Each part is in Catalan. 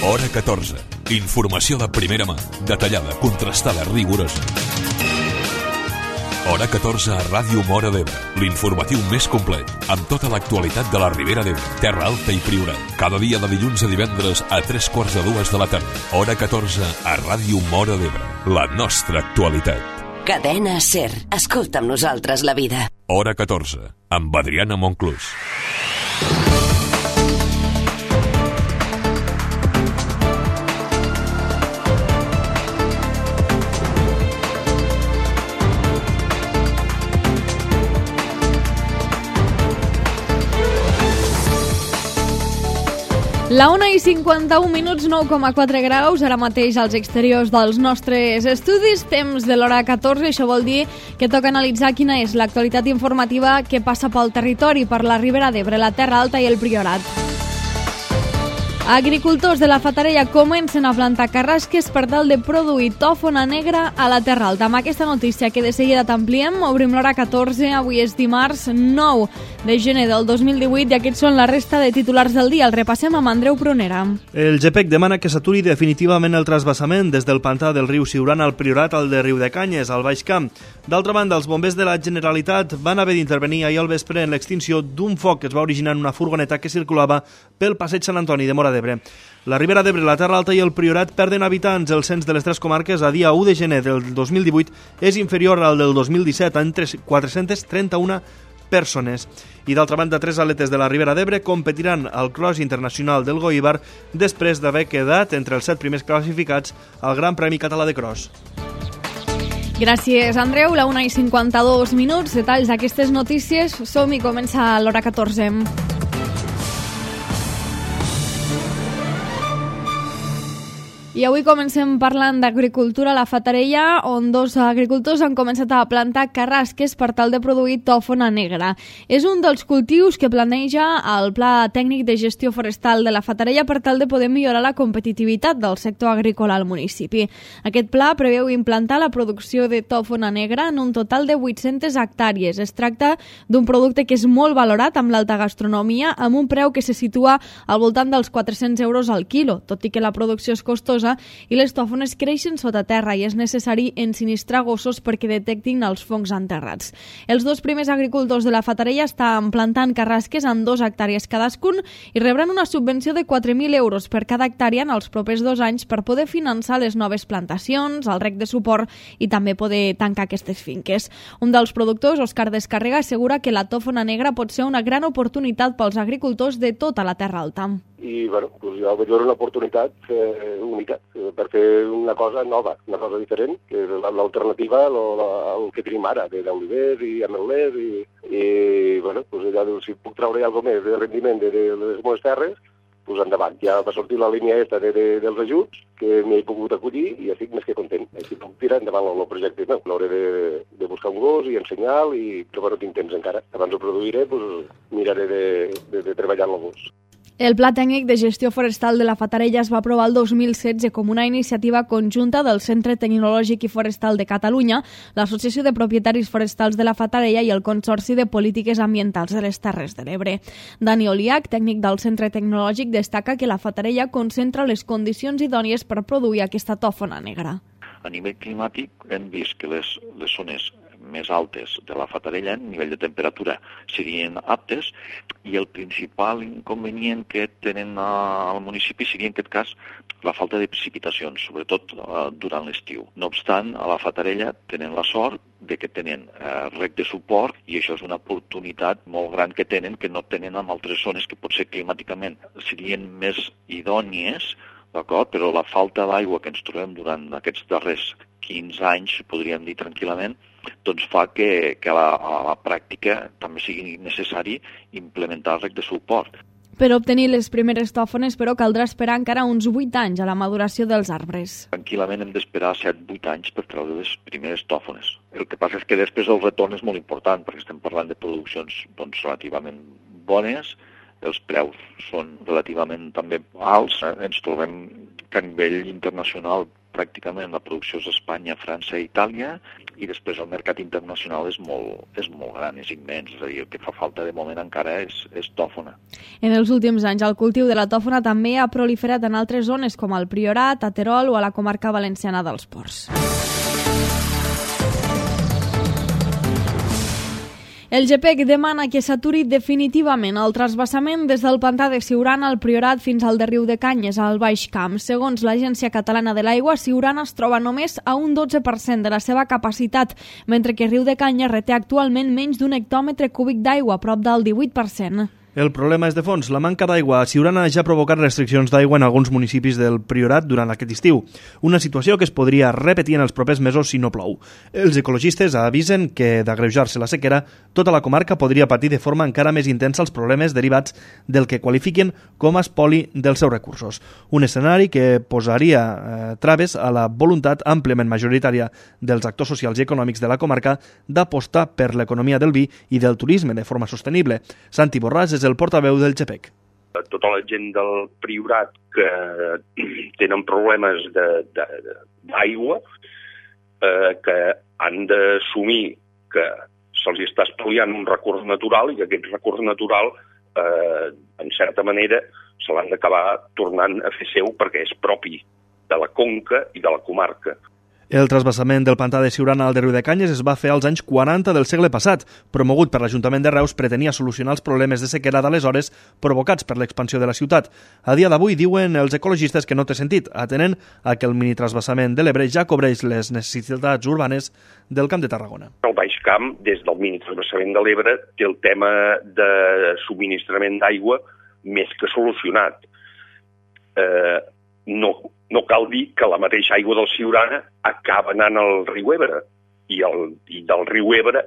Hora 14. Informació de primera mà, detallada, contrastada, rigorosa. Hora 14 a Ràdio Móra d'Ebre, l'informatiu més complet, amb tota l'actualitat de la Ribera d'Ebre, Terra Alta i Priorat. Cada dia de dilluns a divendres a 3:45 de la tarda. Hora 14 a Ràdio Móra d'Ebre, la nostra actualitat. Cadena SER. Escolta amb nosaltres la vida. Hora 14, amb Adriana Monclús. La 1:51, 9,4 graus, ara mateix als exteriors dels nostres estudis, temps de l'hora 14, això vol dir que toca analitzar quina és l'actualitat informativa que passa pel territori, per la Ribera d'Ebre, la Terra Alta i el Priorat. Agricultors de la Fatarella comencen a plantar carrasques per tal de produir tòfona negra a la Terra Alta. Amb aquesta notícia que de seguida t'ampliem, obrim l'hora 14, avui és dimarts 9 de gener del 2018 i aquests són la resta de titulars del dia. El repassem amb Andreu Prunera. El GEPEC demana que s'aturi definitivament el trasbassament des del pantà del riu Siurana al Priorat al de Riudecanyes, al Baix Camp. D'altra banda, els bombers de la Generalitat van haver d'intervenir ahir al vespre en l'extinció d'un foc que es va originar en una furgoneta que circulava pel passeig Sant Antoni de Móra d'Ebre. La Ribera d'Ebre, la Terra Alta i el Priorat perden habitants. El cens de les tres comarques a dia 1 de gener del 2018 és inferior al del 2017 en 431 persones. I d'altra banda, tres atletes de la Ribera d'Ebre competiran al Cross Internacional del Goibar després d'haver quedat entre els 7 primers classificats al Gran Premi Català de Cross. Gràcies, Andreu. La 1:52, detalls d'aquestes notícies. Som-hi, comença l'hora 14. I avui comencem parlant d'agricultura a la Fatarella, on dos agricultors han començat a plantar carrasques per tal de produir tòfona negra. És un dels cultius que planeja el Pla Tècnic de Gestió Forestal de la Fatarella per tal de poder millorar la competitivitat del sector agrícola al municipi. Aquest pla preveu implantar la producció de tòfona negra en un total de 800 hectàrees. Es tracta d'un producte que és molt valorat amb l'alta gastronomia, amb un preu que se situa al voltant dels 400 euros al quilo, tot i que la producció és costosa i les tòfones creixen sota terra i és necessari ensinistrar gossos perquè detectin els fongs enterrats. Els dos primers agricultors de la Fatarella estan plantant carrasques en 2 hectàrees cadascun i rebran una subvenció de 4.000 euros per cada hectàrea en els propers 2 anys per poder finançar les noves plantacions, el rec de suport i també poder tancar aquestes finques. Un dels productors, Òscar Descarrega, assegura que la tòfona negra pot ser una gran oportunitat pels agricultors de tota la Terra Alta. I bueno, doncs jo veig una oportunitat única per fer una cosa nova, una cosa diferent, que és l'alternativa al que tenim ara, d'olivers i ametlers i bueno, doncs allà, si puc treure alguna més de rendiment de les meves terres, doncs endavant. Ja va sortir la línia dels ajuts, que m'hi he pogut acollir i estic més que content. Així puc tirar endavant el projecte meu. L'hauré de buscar un gos i ensenyar-lo, però no tinc temps encara. Abans ho produiré, doncs miraré de treballar amb el gos. El Pla Tècnic de Gestió Forestal de la Fatarella es va aprovar el 2016 com una iniciativa conjunta del Centre Tecnològic i Forestal de Catalunya, l'Associació de Propietaris Forestals de la Fatarella i el Consorci de Polítiques Ambientals de les Terres de l'Ebre. Dani Oliach, tècnic del Centre Tecnològic, destaca que la Fatarella concentra les condicions idònies per produir aquesta tòfona negra. A nivell climàtic hem vist que les zones més altes de la Fatarella en nivell de temperatura serien aptes i el principal inconvenient que tenen al municipi seria en aquest cas la falta de precipitacions, sobretot durant l'estiu. No obstant, a la Fatarella tenen la sort de que tenen rec de suport i això és una oportunitat molt gran que tenen, que no tenen en altres zones que potser climàticament serien més idònies, d'acord? Però la falta d'aigua que ens trobem durant aquests darrers 15 anys, podríem dir tranquil·lament, doncs fa que a la pràctica també sigui necessari implementar el rec de suport. Per obtenir les primeres tòfones, però, caldrà esperar encara uns 8 anys a la maduració dels arbres. Tranquil·lament hem d'esperar 7-8 anys per treure les primeres tòfones. El que passa és que després el retorn és molt important, perquè estem parlant de produccions relativament bones, els preus són relativament també alts. Ens trobem que a nivell internacional pràcticament la producció és Espanya, França i Itàlia, i després el mercat internacional és molt gran, és immens, és a dir, el que fa falta de moment encara és tòfona. En els últims anys, el cultiu de la tòfona també ha proliferat en altres zones com el Priorat, a Terol o a la comarca valenciana dels Ports. El GPEC demana que s'aturi definitivament el trasbassament des del pantà de Siurana al Priorat fins al de Riudecanyes, al Baix Camp. Segons l'Agència Catalana de l'Aigua, Siurana es troba només a un 12% de la seva capacitat, mentre que Riudecanyes reté actualment menys d'un hectòmetre cúbic d'aigua, prop del 18%. El problema és de fons. La manca d'aigua a Siurana ja ha provocat restriccions d'aigua en alguns municipis del Priorat durant aquest estiu. Una situació que es podria repetir en els propers mesos si no plou. Els ecologistes avisen que, d'agreujar-se la sequera, tota la comarca podria patir de forma encara més intensa els problemes derivats del que qualifiquen com a espoli dels seus recursos. Un escenari que posaria traves a la voluntat àmpliament majoritària dels actors socials i econòmics de la comarca d'apostar per l'economia del vi i del turisme de forma sostenible. Santi Borràs és el portaveu del GPEC. Tota la gent del Priorat que tenen problemes d'aigua, que han d'assumir que se'ls està espoliant un recurs natural i que aquest recurs natural, en certa manera, se l'han d'acabar tornant a fer seu perquè és propi de la conca i de la comarca. El trasbassament del pantà de Siurana al de Riudecanyes es va fer als anys 40 del segle passat. Promogut per l'Ajuntament de Reus, pretenia solucionar els problemes de sequera d'aleshores provocats per l'expansió de la ciutat. A dia d'avui diuen els ecologistes que no té sentit, atenent a que el minitrasbassament de l'Ebre ja cobreix les necessitats urbanes del Camp de Tarragona. El Baix Camp, des del minitrasbassament de l'Ebre, té el tema de subministrament d'aigua més que solucionat. No cal dir que la mateixa aigua del Siurana acaba anant al riu Ebre i del riu Ebre,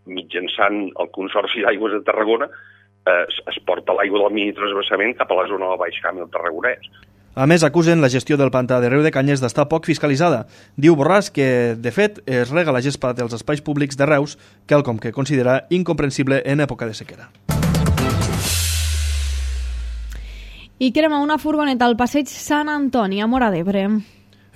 mitjançant el Consorci d'Aigües de Tarragona, es porta l'aigua del minitrasbassament cap a la zona del Baix Camp i el Tarragonès. A més, acusen la gestió del pantà de Riudecanyes d'estar poc fiscalitzada. Diu Borràs que, de fet, es rega la gespa dels espais públics de Reus, quelcom que considera incomprensible en època de sequera. I crema una furgoneta al passeig Sant Antoni, a Móra d'Ebre.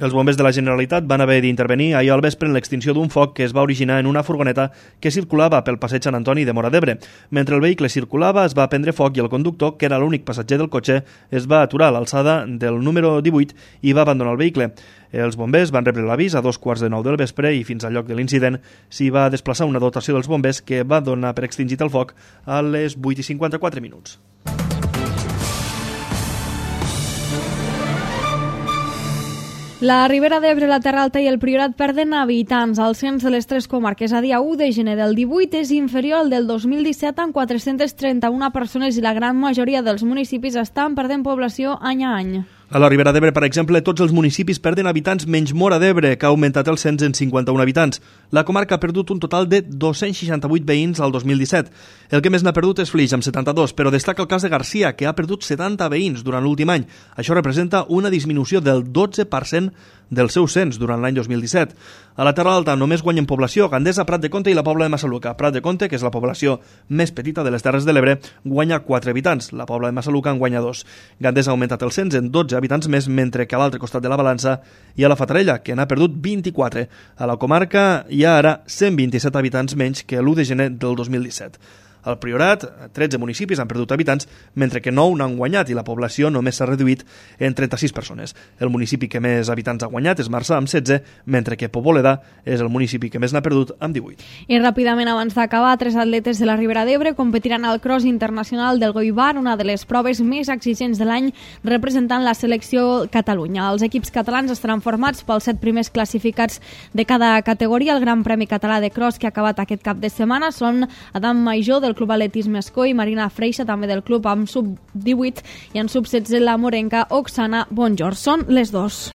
Els bombers de la Generalitat van haver d'intervenir ahir al vespre en l'extinció d'un foc que es va originar en una furgoneta que circulava pel passeig Sant Antoni de Móra d'Ebre. Mentre el vehicle circulava, es va prendre foc i el conductor, que era l'únic passatger del cotxe, es va aturar a l'alçada del número 18 i va abandonar el vehicle. Els bombers van rebre l'avís a 2:15 del vespre i fins al lloc de l'incident s'hi va desplaçar una dotació dels bombers que va donar per extingit el foc a les 8:54 minuts. La Ribera d'Ebre, la Terra Alta i el Priorat perden habitants. El cens de les tres comarques a dia 1 de gener del 18 és inferior al del 2017 amb 431 persones i la gran majoria dels municipis estan perdent població any a any. A la Ribera d'Ebre, per exemple, tots els municipis perden habitants menys Móra d'Ebre, que ha augmentat el cens en 51 habitants. La comarca ha perdut un total de 268 veïns al 2017. El que més n'ha perdut és Flix, amb 72, però destaca el cas de Garcia, que ha perdut 70 veïns durant l'últim any. Això representa una disminució del 12% del seu cens durant l'any 2017. A la Terra Alta només guanyen població Gandesa, Prat de Comte i la Pobla de Massaluca. Prat de Comte, que és la població més petita de les Terres de l'Ebre, guanya 4 habitants. La Pobla de Massaluca en guanya 2. Gandesa ha augmentat el cens en 12 habitants més, mentre que a l'altre costat de la balança hi ha la Fatarella, que n'ha perdut 24. A la comarca hi ha ara 127 habitants menys que l'1 de gener del 2017. Al Priorat, 13 municipis han perdut habitants, mentre que 9 n'han guanyat i la població només s'ha reduït en 36 persones. El municipi que més habitants ha guanyat és Marçà, amb 16, mentre que Poboleda és el municipi que més n'ha perdut, amb 18. I ràpidament, abans d'acabar, 3 atletes de la Ribera d'Ebre competiran al Cross Internacional del Goibar, una de les proves més exigents de l'any, representant la selecció Catalunya. Els equips catalans estaran formats pels 7 primers classificats de cada categoria. El Gran Premi Català de Cross, que ha acabat aquest cap de setmana, són Adam Major, del Club Atletisme Escó, i Marina Freixa, també del club amb sub-18, i en sub-16 la morenca Oksana Bonjor. Són les 2.